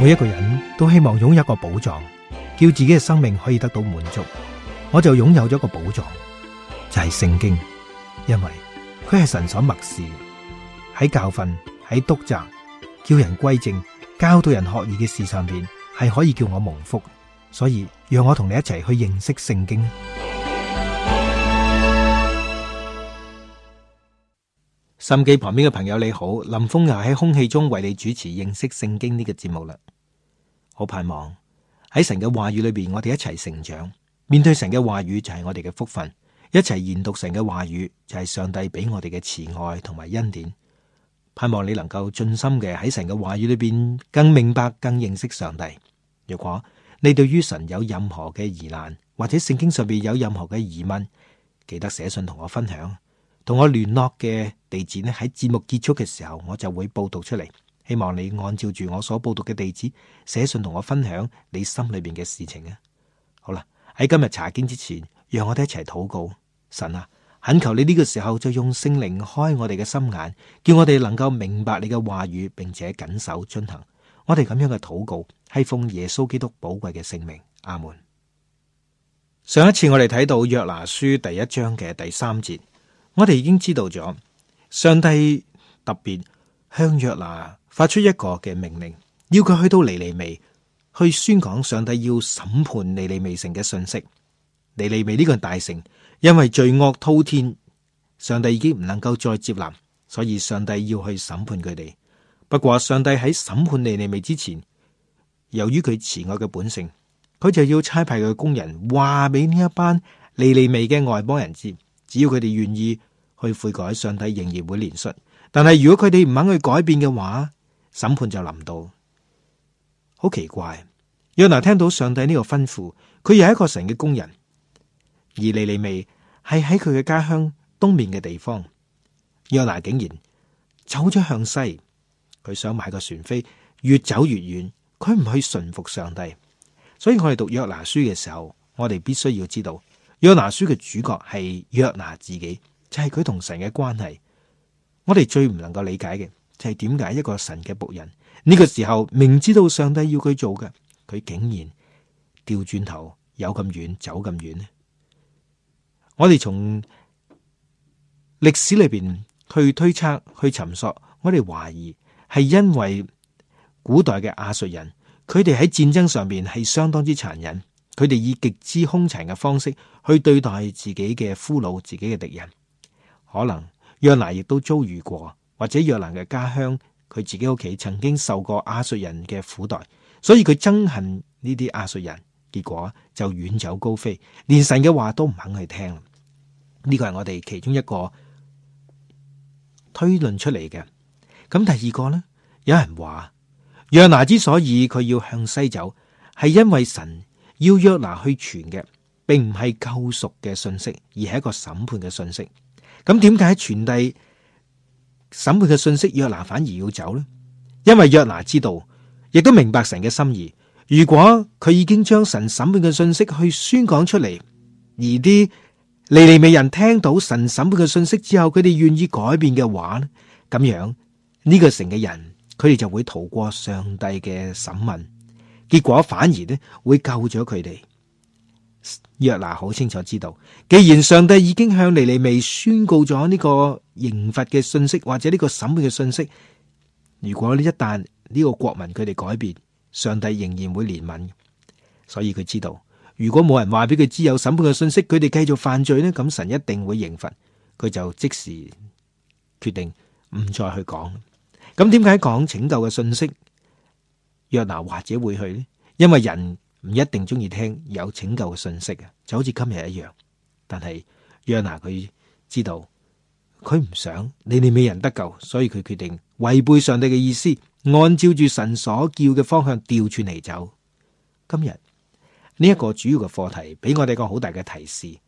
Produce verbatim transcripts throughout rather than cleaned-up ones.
每一個人都希望擁有一個寶藏，叫自己嘅生命可以得到滿足。我就擁有咗一個寶藏，就係聖經，因為佢係神所默示，喺教訓、喺督責、叫人歸正、教導人學義嘅事上邊，係可以叫我蒙福。所以讓我同你一齊去認識聖經。收音機旁邊嘅朋友你好，林峰又喺空氣中為你主持認識聖經呢個節目啦。好盼望喺神嘅話語裏邊，我哋一齊成長。面對神嘅話語就係我哋嘅福分，一齊研讀神嘅話語就係上帝俾我哋嘅慈愛同埋恩典。盼望你能夠盡心嘅喺神嘅話語裏邊更明白、更認識上帝。如果你對於神有任何嘅疑難，或者聖經上邊有任何嘅疑問，記得寫信同我分享。同我聯絡嘅地址呢，喺節目結束嘅時候，我就會報讀出嚟。希望你按照住我所報讀嘅地址寫信同我分享你心裏邊嘅事情啊。好啦，喺今日查經之前，讓我哋一齊禱告。神啊，懇求你呢個時候就用聖靈開我哋嘅心眼，叫我哋能夠明白你嘅話語，並且謹守遵行。我哋咁樣嘅禱告係奉耶穌基督寶貴嘅聖名，阿門。上一次我哋睇到約拿書第一章嘅第三節，我哋已經知道咗上帝特別向約拿發出一個嘅命令，要佢去到尼尼微去宣講上帝要審判尼尼微城嘅信息。尼尼微呢個大城因為罪惡滔天，上帝已經唔能夠再接納，所以上帝要去審判佢哋。不過上帝喺審判尼尼微之前，由於佢慈愛嘅本性，佢就要差派佢嘅工人話俾呢一班尼尼微嘅外邦人知，只要佢哋願意去悔改，上帝仍然會憐恤。但係如果佢哋唔肯去改變嘅話，審判就臨到。好奇怪，約拿聽到上帝呢個吩咐，佢又係一個神嘅工人，而尼尼微係喺佢嘅家鄉東面嘅地方，約拿竟然走咗向西。佢想買個船飛，越走越遠，佢唔去順服上帝。所以我哋讀約拿書嘅時候，我哋必須要知道約拿書嘅主角係約拿自己，就係佢同神嘅關係。我哋最唔能夠理解嘅就係點解一個神嘅僕人呢個時候明知道上帝要佢做嘅，佢竟然掉轉頭有咁遠走咁遠呢？我哋從歷史裏邊去推測去尋索，我哋懷疑係因為古代嘅亞述人，佢哋喺戰爭上面係相當之殘忍，佢哋以極之兇殘嘅方式去對待自己嘅俘虜、自己嘅敵人。可能約拿亦都遭遇過，或者約拿嘅家鄉，佢自己屋企曾經受過亞述人嘅苦待，所以佢憎恨呢啲亞述人，結果就遠走高飛，連神嘅話都唔肯去聽。呢個係我哋其中一個推論出嚟嘅。咁第二個呢，有人話約拿之所以佢要向西走，係因為神要約拿去傳嘅，並唔係救贖嘅信息，而係一個審判嘅信息。咁點解傳遞審判嘅信息，約拿反而要走呢？因為約拿知道，亦都明白神嘅心意。如果佢已經將神審判嘅信息去宣講出嚟，而啲尼尼微人聽到神審判嘅信息之後，佢哋願意改變嘅話呢，咁樣呢個城嘅人，佢哋就會逃過上帝嘅審問，結果反而呢會救咗佢哋。約拿好清楚知道，既然上帝已經向尼尼微宣告咗呢個刑罰嘅信息，或者呢個審判嘅信息，如果呢一旦呢個國民佢哋改變，上帝仍然會憐憫。所以佢知道，如果冇人話俾佢知有審判嘅信息，佢哋繼續犯罪呢，咁神一定會刑罰。佢就即時決定唔再去講。咁點解講拯救嘅信息，約拿或者會去呢？因為人唔一定中意聽有拯救嘅信息啊，就好似今日一樣。但係約拿佢知道，佢唔想尼尼微人得救，所以佢決定違背上帝嘅意思，按照住神所叫嘅方向調轉嚟走。今日呢一個主要嘅課題，俾我哋一個好大嘅提示。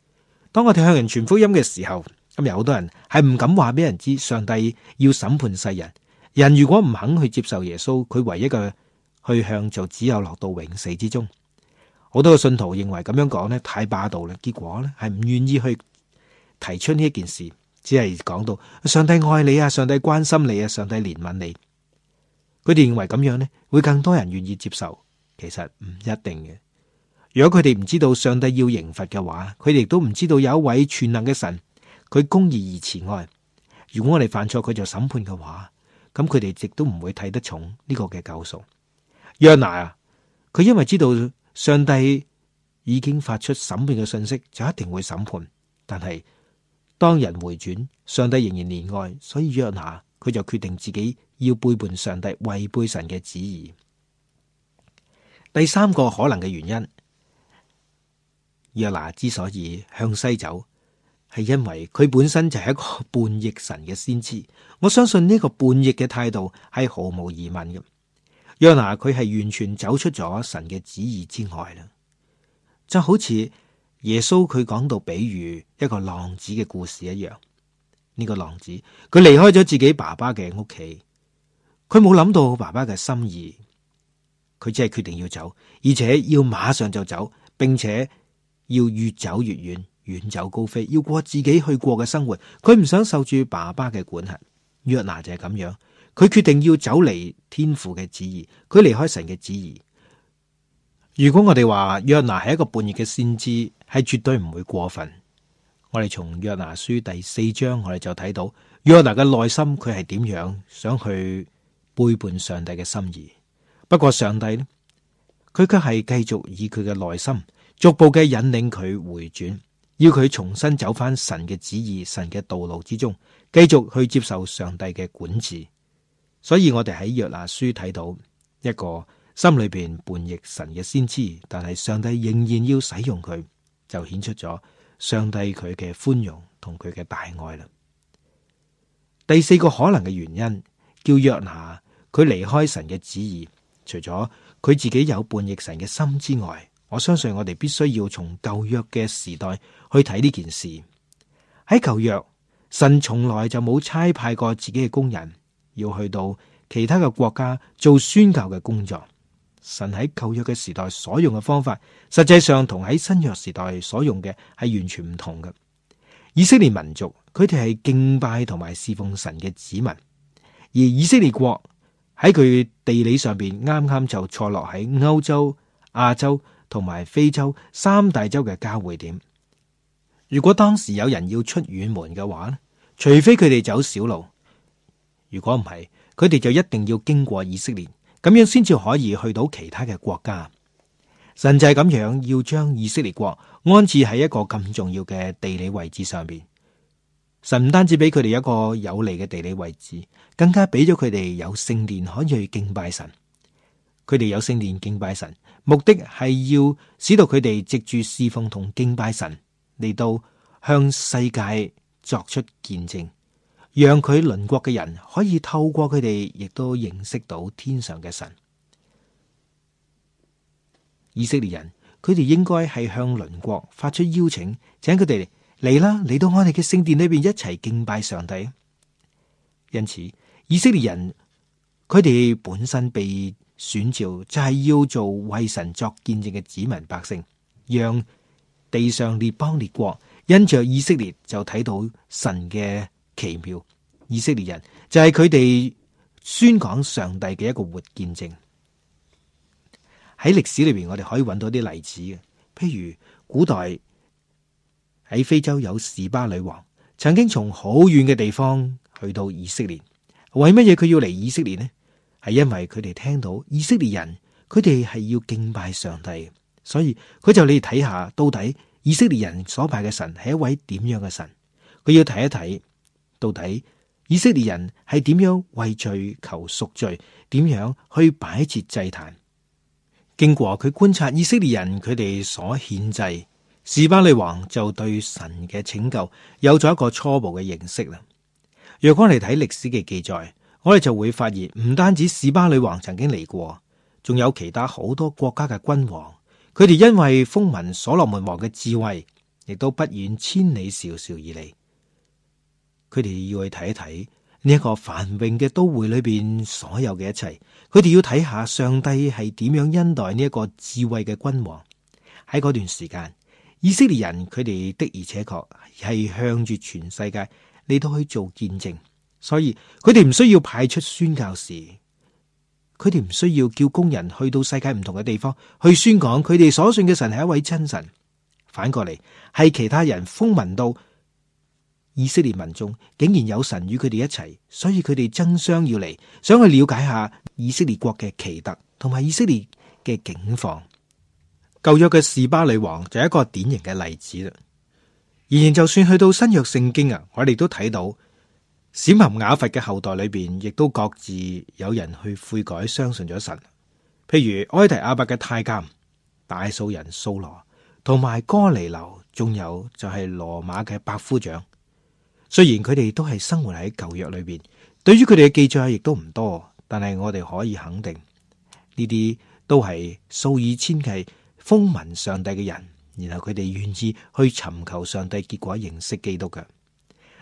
當我哋向人傳福音嘅時候，今日好多人係唔敢話俾人知，上帝要審判世人。人如果唔肯去接受耶穌，佢唯一嘅去向就只有落到永死之中。好多嘅信徒認為咁樣講呢太霸道啦，結果呢係唔願意去提出呢一件事，只係講到上帝愛你啊，上帝關心你啊，上帝憐憫你。佢哋認為咁樣呢會更多人願意接受，其實唔一定嘅。如果佢哋唔知道上帝要刑罰嘅話，佢哋亦都唔知道有一位全能嘅神，佢公義而慈愛。如果我哋犯錯，佢就審判嘅話，咁佢哋亦都唔會睇得重呢個嘅救贖。約拿啊，佢因為知道上帝已經發出審判嘅信息，就一定會審判。但係當人回轉，上帝仍然憐愛，所以約拿佢就決定自己要背叛上帝，違背神嘅旨意。第三個可能嘅原因，約拿之所以向西走，係因為佢本身就係一個叛逆神嘅先知。我相信呢個叛逆嘅態度係毫無疑問嘅。約拿佢係完全走出咗神嘅旨意之外啦，就好似耶穌佢講到比喻一個浪子嘅故事一樣。呢個浪子佢離開咗自己爸爸嘅屋企，佢冇諗到爸爸嘅心意，佢只係決定要走，而且要馬上就走，並且要越走越遠，遠走高飛，要過自己去過嘅生活。佢唔想受住爸爸嘅管轄。約拿就係咁樣，佢決定要走離天父嘅旨意，佢離開神嘅旨意。如果我哋話約拿係一個叛逆嘅先知，係絕對唔會過分。我哋從約拿書第四章，我哋就睇到約拿嘅內心，佢係點樣想去背叛上帝嘅心意。不過上帝呢，佢卻係繼續以佢嘅內心逐步嘅引領佢回轉，要佢重新走翻神嘅旨意、神嘅道路之中，繼續去接受上帝嘅管治。所以我哋喺約拿書睇到一個心裏邊叛逆神嘅先知，但係上帝仍然要使用佢，就顯出咗上帝佢嘅寬容同佢嘅大愛啦。第四個可能嘅原因，叫約拿佢離開神嘅旨意，除咗佢自己有叛逆神嘅心之外，我相信我哋必須要從舊約嘅時代去睇呢件事。喺舊約，神從來就冇差派過自己嘅工人要去到其他嘅國家做宣教嘅工作。神喺舊約嘅時代所用嘅方法，實際上同喺新約時代所用嘅係完全唔同嘅。以色列民族佢哋係敬拜同埋侍奉神嘅子民，而以色列國喺佢地理上邊啱啱就錯落喺歐洲、亞洲同埋非洲三大洲嘅交匯點。如果當時有人要出遠門嘅話，除非佢哋走小路，如果唔係，佢哋就一定要經過以色列，咁樣先至可以去到其他嘅國家。神就係咁樣要將以色列國安置喺一個咁重要嘅地理位置上邊。神唔單止俾佢哋一個有利嘅地理位置，更加俾咗佢哋有聖殿可以去敬拜神。佢哋有聖殿敬拜神，目的係要使到佢哋藉住侍奉同敬拜神嚟到向世界作出見證，讓佢鄰國嘅人可以透過佢哋，亦都認識到天上嘅神。以色列人佢哋應該係向鄰國發出邀請，請佢哋嚟啦，嚟到我哋嘅聖殿裏邊一齊敬拜上帝。因此，以色列人佢哋本身被選召就係要做為神作見證嘅子民百姓，讓地上列邦列國因着以色列就睇到神嘅奇妙。以色列人就係佢哋宣講上帝嘅一個活見證。喺歷史裏邊，我哋可以揾到啲例子嘅，譬如古代喺非洲有示巴女王，曾經從好遠嘅地方去到以色列。為乜嘢佢要嚟以色列呢？係因為佢哋聽到以色列人佢哋係要敬拜上帝，所以佢就嚟睇下到底以色列人所拜嘅神係一位點樣嘅神。佢要睇一睇到底以色列人係點樣為罪求贖罪，點樣去擺設祭壇。經過佢觀察以色列人佢哋所獻祭，示巴女王就對神嘅拯救有咗一個初步嘅認識啦。若果我哋睇歷史嘅記載，我哋就會發現唔單止示巴女王曾經嚟過，仲有其他好多國家嘅君王，佢哋因為風聞所羅門王嘅智慧，亦都不遠千里迢迢而嚟。佢哋要去睇一睇呢一個繁榮嘅都會裏邊所有嘅一切，佢哋要睇下上帝係點樣恩待呢一個智慧嘅君王。喺嗰段時間，以色列人佢哋的而且確係向住全世界嚟到去做見證，所以佢哋唔需要派出宣教士，佢哋唔需要叫工人去到世界唔同嘅地方去宣講佢哋所信嘅神係一位真神。反過嚟，係其他人風聞到以色列民眾竟然有神與佢哋一齊，所以佢哋爭相要嚟，想去了解下以色列國嘅奇特同埋以色列嘅境況。舊約嘅示巴女王就係一個典型嘅例子啦。然而就算去到新約聖經啊，我哋都睇到閃含雅弗嘅後代裏邊，亦都各自有人去悔改，相信咗神。譬如埃提亞伯嘅太監、大數人掃羅，同埋哥尼流，仲有就係羅馬嘅百夫長。雖然佢哋都係生活喺舊約裏邊，對於佢哋嘅記載亦都唔多，但係我哋可以肯定，呢啲都係數以千計風聞上帝嘅人，然後佢哋願意去尋求上帝，結果認識基督嘅。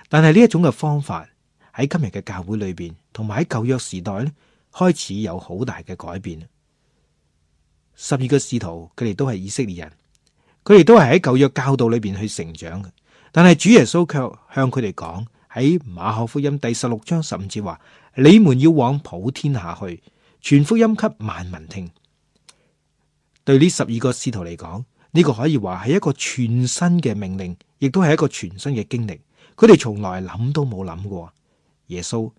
但係呢一種嘅方法喺今日嘅教會裏邊，同埋喺舊約時代咧，開始有好大嘅改變。十二個使徒，佢哋都係以色列人，佢哋都係喺舊約教導裏邊去成長嘅。但係主耶穌卻向佢哋講，喺馬可福音第十六章十五節話：你們要往普天下去，傳福音給萬民聽。對呢十二個使徒嚟講，呢個可以話係一個全新嘅命令，亦都係一個全新嘅經歷。佢哋從來諗都冇諗過。耶穌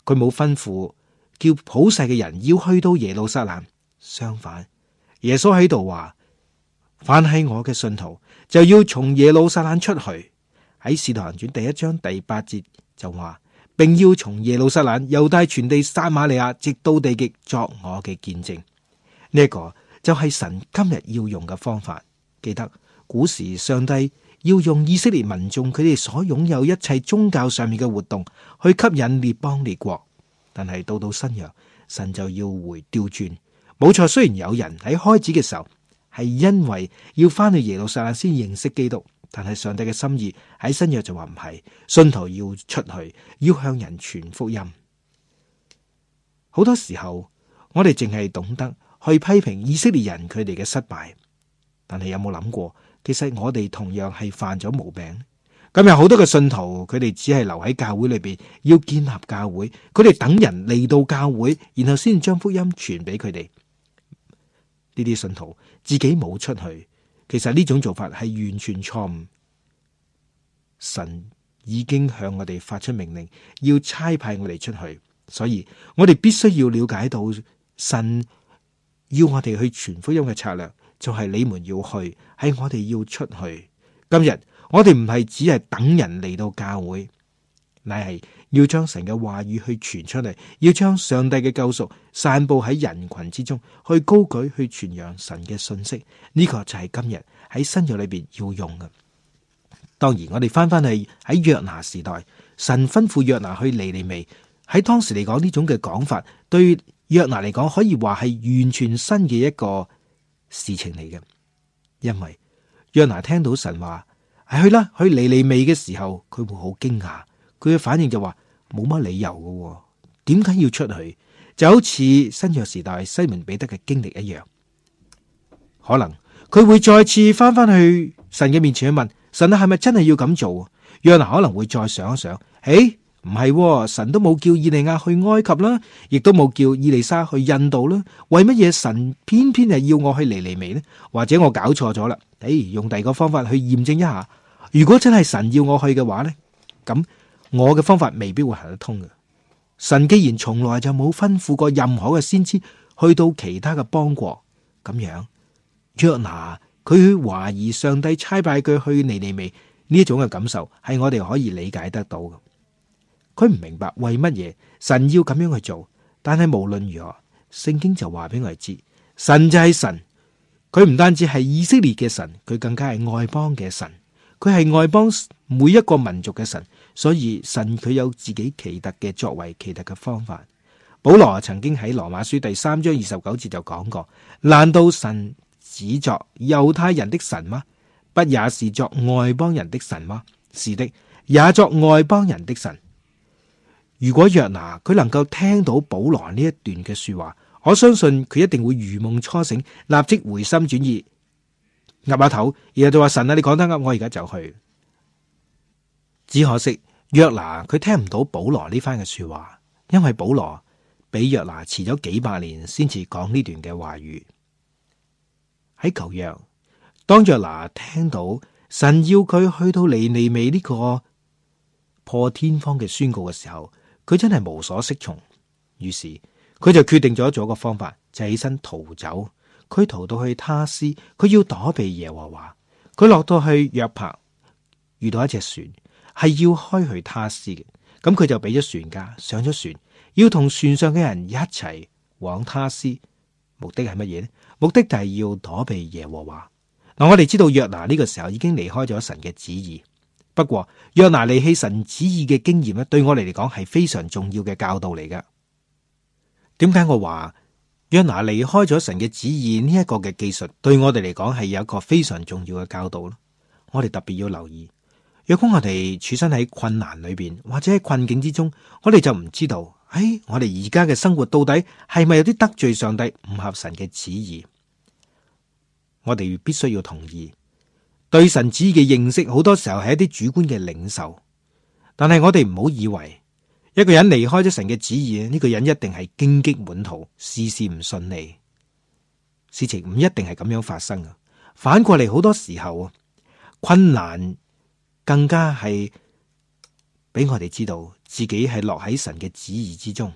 佢冇吩咐叫普世嘅人要去到耶路撒冷，相反，耶穌喺度話：凡係我嘅信徒，就要從耶路撒冷出去。喺使徒行傳第一章第八節就話，並要從耶路撒冷、猶大全地、撒瑪利亞，直到地極，作我嘅見證。呢一個就係神今日要用嘅方法。記得古時上帝要用以色列民眾佢哋所擁有一切宗教上面嘅活動去吸引列邦列國，但係到到新約，神就要回調轉。冇錯，雖然有人喺開始嘅時候係因為要翻去耶路撒冷先認識基督，但係上帝嘅心意喺新約就話唔係，信徒要出去，要向人傳福音。好多時候我哋淨係懂得去批評以色列人佢哋嘅失敗，但係有冇諗過，其實我哋同樣係犯咗毛病。今日好多嘅信徒，佢哋只係留喺教會裏邊，要建立教會，佢哋等人嚟到教會，然後先將福音傳俾佢哋。呢啲信徒自己冇出去，其實呢種做法係完全錯誤。神已經向我哋發出命令，要差派我哋出去，所以我哋必須要了解到神要我哋去傳福音嘅策略，就係你們要去，係我哋要出去。今日我哋唔係只係等人嚟到教會，乃係要將神嘅話語去傳出嚟，要將上帝嘅救贖散布喺人群之中，去高舉去傳揚神嘅信息。呢個就係今日喺新約裏邊要用嘅。當然，我哋翻翻去喺約拿時代，神吩咐約拿去尼尼微，喺當時嚟講呢種嘅講法，對約拿嚟講可以話係完全新嘅一個事情嚟嘅。因為約拿聽到神話係去啦，去尼尼微嘅時候，佢會好驚訝，佢嘅反應就話冇乜理由嘅，點解要出去？就好似新約時代西門彼得嘅經歷一樣，可能佢會再次翻翻去神嘅面前去問神啊，係咪真係要咁做？約拿可能會再想一想，誒，唔係，神都冇叫以利亞去埃及啦，亦都冇叫以利沙去印度啦，為乜嘢神偏偏係要我去尼尼微呢？或者我搞錯咗啦？誒，用第二個方法去驗證一下，如果真係神要我去嘅話呢，咁我嘅方法未必會行得通嘅。神既然從來就冇吩咐過任何嘅先知去到其他嘅邦國，咁樣約拿佢去懷疑上帝差派佢去尼尼微呢一種嘅感受，係我哋可以理解得到嘅。佢唔明白為乜嘢神要咁樣去做，但係無論如何，聖經就話俾我哋知，神就係神，佢唔單止係以色列嘅神，佢更加係外邦嘅神，佢係外邦每一個民族嘅神，所以神佢有自己奇特嘅作為，奇特嘅方法。保羅曾經喺羅馬書第三章二十九節就講過，難道神只作猶太人的神嗎？不也是作外邦人的神嗎？是的，也作外邦人的神。如果約拿佢能夠聽到保羅呢一段嘅說話，我相信佢一定會如夢初醒，立即回心轉意，岌下頭，然後就話神啊，你講得啱，我而家就去。只可惜約拿佢聽唔到保羅呢番嘅說話，因為保羅比約拿遲咗幾百年先至講呢段嘅話語。喺舊約，當約拿聽到神要佢去到尼尼微呢個破天荒嘅宣告嘅時候，佢真係無所適從。於是佢就決定咗做一個方法，就起身逃走。佢逃到去他施，佢要躲避耶和華。佢落到去約帕，遇到一隻船，係要開去他施嘅。咁佢就俾咗船價，上咗船，要同船上嘅人一齊往他施。目的係乜嘢呢？目的就係要躲避耶和華。嗱，我哋知道約拿呢個時候已經離開咗神嘅旨意。不過約拿離棄神旨意嘅經驗咧，對我哋嚟講係非常重要嘅教導嚟噶。點解我話約拿離開咗神嘅旨意呢一個嘅技術，對我哋嚟講係有一個非常重要嘅教導咧？我哋特別要留意，若果我哋處身喺困難裏邊或者喺困境之中，我哋就唔知道，誒、哎，我哋而家嘅生活到底係咪有啲得罪上帝，唔合神嘅旨意？我哋必須要同意，對神旨意嘅認識好多時候係一啲主觀嘅領受，但係我哋唔好以為一個人離開咗神嘅旨意，呢個人一定係荊棘滿途，事事唔順利。事情唔一定係咁樣發生啊！反過嚟，好多時候困難更加係俾我哋知道自己係落喺神嘅旨意之中。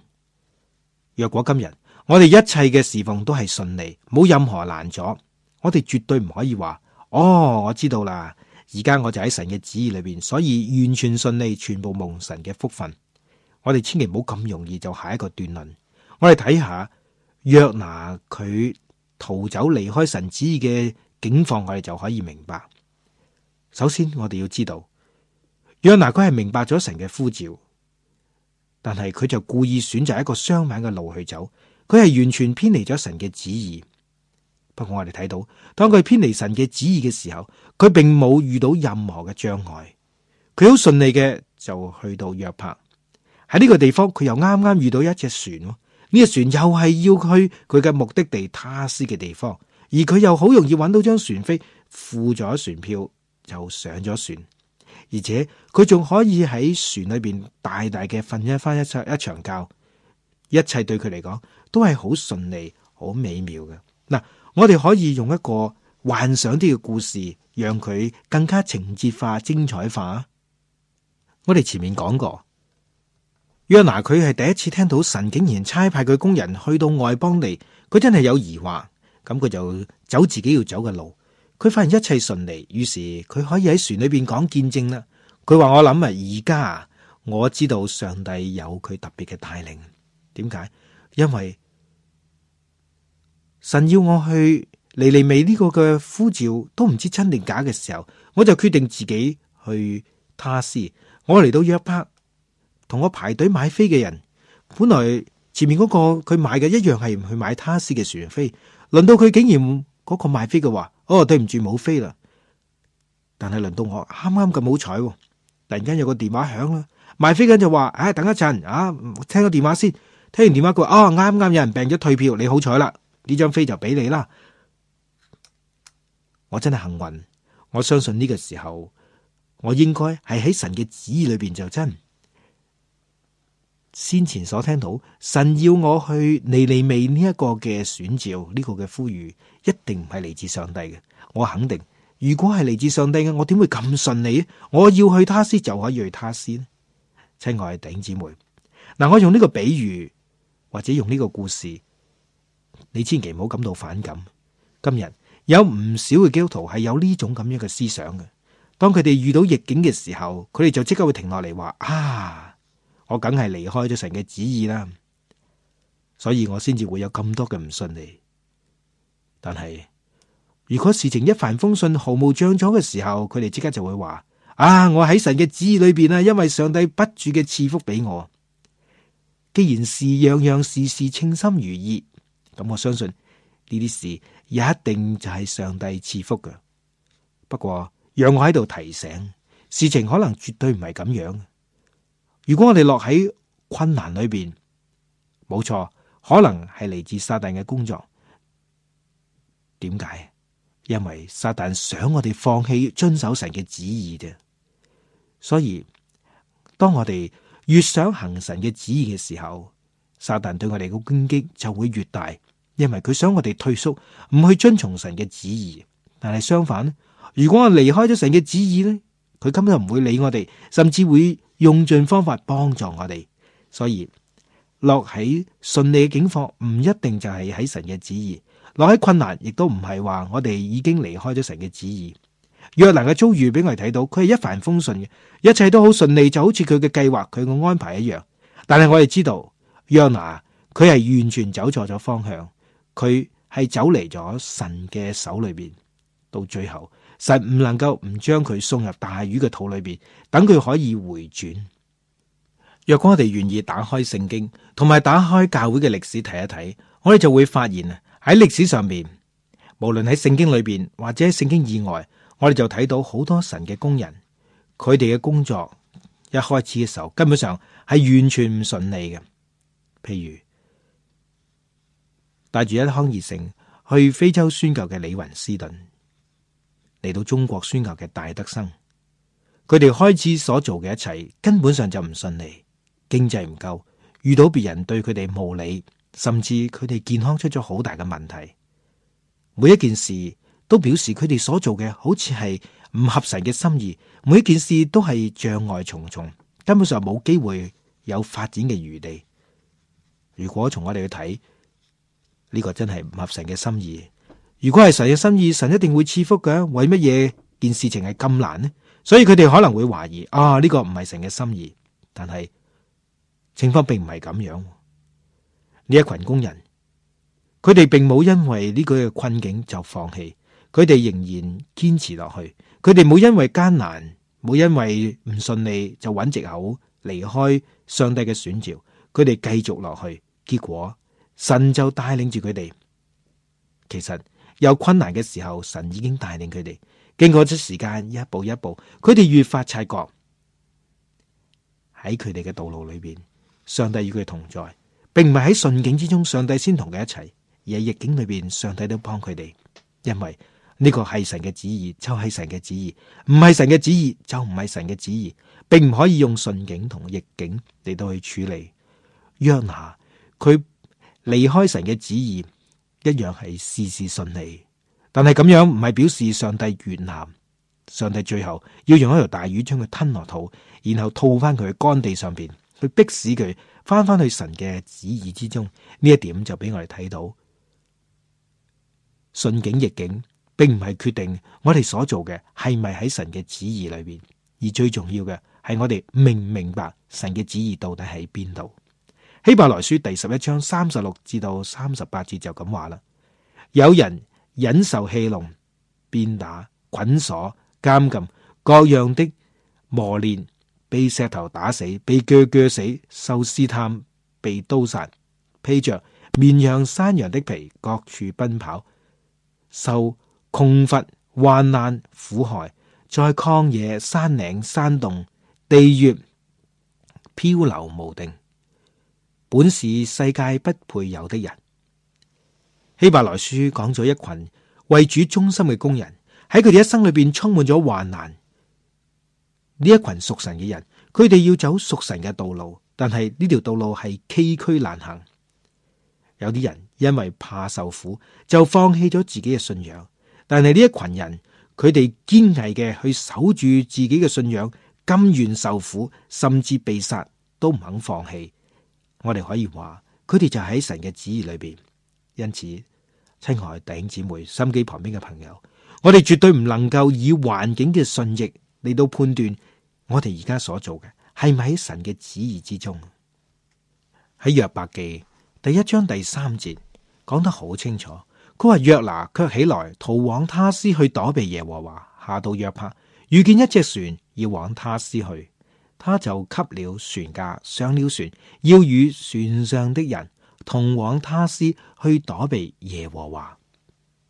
若果今日我哋一切嘅侍奉都係順利，冇任何難阻，我哋絕對唔可以話，哦，我知道啦，而家我就喺神嘅旨意裏邊，所以完全順利，全部蒙神嘅福分。我哋千祈唔好咁容易就下一個斷論。我哋睇下約拿佢逃走離開神旨意嘅境況，我哋就可以明白。首先我哋要知道，約拿佢係明白咗神嘅呼召，但係佢就故意選擇一個相反嘅路去走，佢係完全偏離咗神嘅旨意。不過我哋睇到，當佢偏離神嘅旨意嘅時候，佢並冇遇到任何嘅障礙，佢好順利嘅就去到約帕。喺呢個地方，佢又啱啱遇到一隻船，呢、這個船又係要去佢嘅目的地他施嘅地方，而佢又好容易揾到張船飛，付咗船票就上咗船，而且佢仲可以喺船裏邊大大嘅瞓一翻一場一場覺，一切對佢嚟講都係好順利、好美妙嘅。嗱，我哋可以用一個幻想啲嘅故事，讓佢更加情節化、精彩化。我哋前面講過。約拿佢係第一次聽到神竟然差派佢工人去到外邦地，佢真係有疑惑，咁佢就走自己要走嘅路。佢發現一切順利，於是佢可以喺船裏邊講見證啦。佢話：我諗啊，而家我知道上帝有佢特別嘅帶領。點解？因為神要我去尼尼微呢個嘅呼召都唔知真定假嘅時候，我就決定自己去他施。我嚟到約帕。同我排隊買飛嘅人，本來前面嗰個佢買嘅一樣係唔去買他施嘅船飛，輪到佢竟然嗰個買飛嘅話：哦，對唔住，冇飛啦。但係輪到我啱啱咁好彩，突然間有個電話響啦，賣飛緊就話：唉、哎，等一陣啊，聽個電話先。聽完電話佢話：哦，啱啱有人病咗退票，你好彩啦，呢張飛就俾你啦。我真係幸運，我相信呢個時候我應該係喺神嘅旨意裏邊就真。先前所聽到神要我去尼尼微呢一個嘅選召，呢個嘅呼籲一定唔係嚟自上帝嘅。我肯定，如果係嚟自上帝嘅，我點會咁順利？我要去他施就可以去他施呢？親愛嘅弟兄姊妹，嗱，我用呢個比喻或者用呢個故事，你千祈唔好感到反感。今日有唔少嘅基督徒係有呢種咁樣嘅思想嘅。當佢哋遇到逆境嘅時候，佢哋就即刻會停落嚟話：啊！我梗係離開咗神嘅旨意啦，所以我先至會有咁多嘅唔順利。但係如果事情一帆風順、毫無障阻嘅時候，佢哋即刻就會話：啊，我喺神嘅旨意裏邊啊，因為上帝不住嘅賜福俾我。既然事樣樣事事稱心如意，咁我相信呢啲事一定就係上帝賜福嘅。不過讓我喺度提醒，事情可能絕對唔係咁樣。如果我哋落喺困難裏邊，冇錯，可能係嚟自撒旦嘅工作。點解？因為撒旦想我哋放棄遵守神嘅旨意啫。所以當我哋越想行神嘅旨意嘅時候，撒旦對我哋嘅攻擊就會越大，因為佢想我哋退縮，唔去遵從神嘅旨意。但係相反，如果我離開咗神嘅旨意呢，佢根本就唔會理我哋，甚至會用盡方法幫助我哋。所以落喺順利嘅境況唔一定就係喺神嘅旨意，落喺困難亦都唔係話我哋已經離開咗神嘅旨意。約拿嘅遭遇俾我哋睇到，佢係一帆風順嘅，一切都好順利，就好似佢嘅計劃、佢嘅安排一樣。但係我哋知道，約拿佢係完全走錯咗方向，佢係走離咗神嘅手裏邊。到最後，神唔能夠唔將佢送入大魚嘅肚裏邊，等佢可以回轉。若果我哋願意打開聖經，同埋打開教會嘅歷史睇一睇，我哋就會發現啊，喺歷史上邊，無論喺聖經裏邊或者喺聖經以外，我哋就睇到好多神嘅工人，佢哋嘅工作一開始嘅時候，根本上係完全唔順利嘅。譬如帶住一腔熱誠去非洲宣教嘅李雲斯頓，嚟到中國宣教嘅戴德生，佢哋開始所做嘅一切根本上就唔順利，經濟唔夠，遇到別人對佢哋無理，甚至佢哋健康出咗好大嘅問題。每一件事都表示佢哋所做嘅好似係唔合神嘅心意，每一件事都係障礙重重，根本上冇機會有發展嘅餘地。如果從我哋去睇，呢個真係唔合神嘅心意。如果係神嘅心意，神一定會賜福嘅。為乜嘢件事情係咁難呢？所以佢哋可能會懷疑啊，呢個唔係神嘅心意。但係情況並唔係咁樣。呢一群工人，佢哋並冇因為呢個困境就放棄，佢哋仍然堅持落去。佢哋冇因為艱難，冇因為唔順利就揾藉口離開上帝嘅選召。佢哋繼續落去，結果神就帶領住佢哋。其實有困難嘅時候，神已經帶領佢哋。經過咗時間，一步一步，佢哋越發察覺喺佢哋嘅道路裏邊，上帝與佢同在，並唔係喺順境之中，上帝先同佢一齊，而係逆境裏邊，上帝都幫佢哋。因為呢個係神嘅旨意，就係神嘅旨意；唔係神嘅旨意，就唔係神嘅旨意，並唔可以用順境同逆境嚟到去處理。約拿佢離開神嘅旨意，一樣係事事順利。但係咁樣唔係表示上帝悅納，上帝最後要用一條大魚將佢吞落肚，然後吐翻佢去乾地上邊，去逼使佢翻翻去神嘅旨意之中。呢一點就俾我哋睇到，順境逆境並唔係決定我哋所做嘅係咪喺神嘅旨意裏邊，而最重要嘅係我哋明唔明白神嘅旨意到底喺邊度。希伯來書第十一章三十六至到三十八節就咁話啦：有人忍受戲弄、鞭打、捆鎖、監禁、各樣的磨練，被石頭打死，被鋸鋸死，受試探，被刀殺，披着綿羊、山羊的皮，各處奔跑，受窮乏、患難、苦害，在曠野、山嶺、山洞、地穴漂流無定，本是世界不配有的人。希伯來書講咗一群為主忠心嘅工人，喺佢哋一生裏邊充滿咗患難。呢一群屬神嘅人，佢哋要走屬神嘅道路，但係呢條道路係崎嶇難行。有啲人因為怕受苦，就放棄咗自己嘅信仰。但係呢一群人，佢哋堅毅嘅去守住自己嘅信仰，甘願受苦，甚至被殺都唔肯放棄。我哋可以話，佢哋就喺神嘅旨意裏邊。因此，親愛弟兄姊妹、心機旁邊嘅朋友，我哋絕對唔能夠以環境嘅順逆嚟到判斷我哋而家所做嘅係咪喺神嘅旨意之中。喺約伯記第一章第三節講得好清楚，佢話約拿卻起來逃往他施去躲避耶和華，下到約帕，遇見一隻船要往他施去，他就給了船價，上了船，要與船上的人同往他施去躲避耶和華。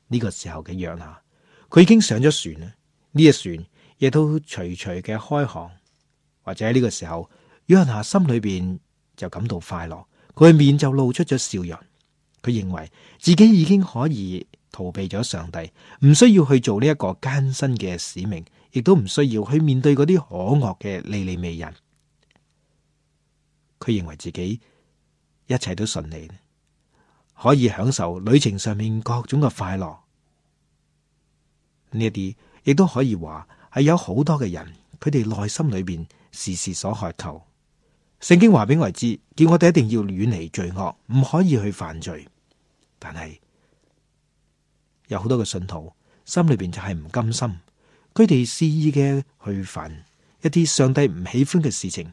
呢、這個時候嘅約拿，佢已經上咗船啦。呢隻船亦都徐徐嘅開航，或者喺呢個時候，約拿心裏邊就感到快樂，佢面就露出咗笑容。佢認為自己已經可以逃避咗上帝，唔需要去做呢一個艱辛嘅使命，亦都唔需要去面對嗰啲可惡嘅尼尼微人。佢認為自己一切都順利，可以享受旅程上面各種嘅快樂。呢一啲亦都可以話係有好多嘅人，佢哋內心裏邊時時所渴求。聖經話俾我哋知，叫我哋一定要遠離罪惡，唔可以去犯罪。但係有好多嘅信徒心裏邊就係唔甘心，佢哋肆意嘅去犯一啲上帝唔喜歡嘅事情。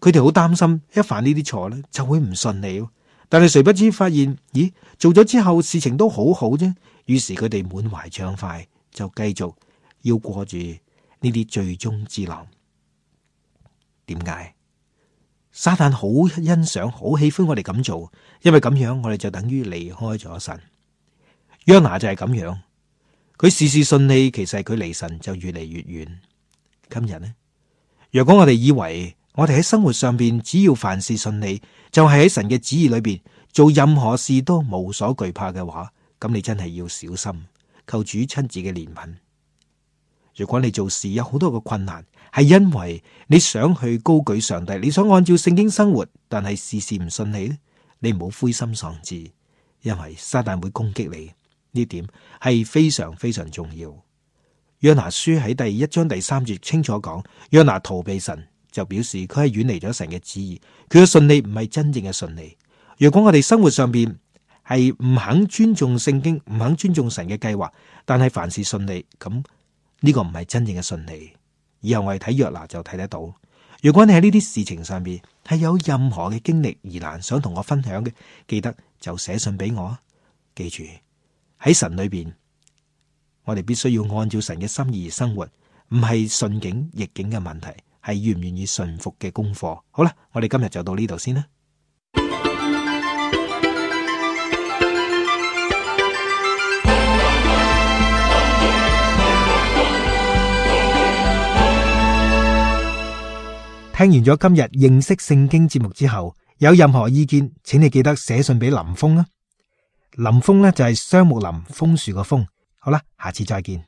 佢哋好擔心一犯呢啲錯咧，就會唔順利。但係誰不知發現，咦，做咗之後事情都好好啫。於是佢哋滿懷暢快，就繼續要過住呢啲罪中之樂。點解？撒旦好欣賞、好喜歡我哋咁做，因為咁樣我哋就等於離開咗神。約拿就係咁樣，佢事事順利，其實佢離神就越嚟越遠。今日呢，若果我哋以為我哋喺生活上邊只要凡事順利，就係喺神嘅旨意裏邊做任何事都無所懼怕嘅話，咁你真係要小心，求主親自嘅憐憫。如果你做事有好多嘅困難，係因為你想去高舉上帝，你想按照聖經生活，但係事事唔順利咧，你唔好灰心喪志，因為撒旦會攻擊你。呢點係非常非常重要。約拿書喺第一章第三節清楚講，約拿逃避神，就表示佢係遠離咗神嘅旨意，佢嘅順利唔係真正嘅順利。如果我哋生活上邊係唔肯尊重聖經，唔肯尊重神嘅計劃，但係凡事順利，咁呢個唔係真正嘅順利。以後我哋睇約拿就睇得到。如果你喺呢啲事情上邊係有任何嘅經歷疑難想同我分享嘅，記得就寫信俾我。記住喺神裏邊，我哋必須要按照神嘅心意而生活，唔係順境逆境嘅問題，係願唔願意順服嘅功課。好啦，我哋今日就到呢度先啦。聽完咗今日認識聖經節目之後，有任何意見，請你記得寫信俾林峰啦。林峰呢就係雙木林楓樹個楓。好啦，下次再見。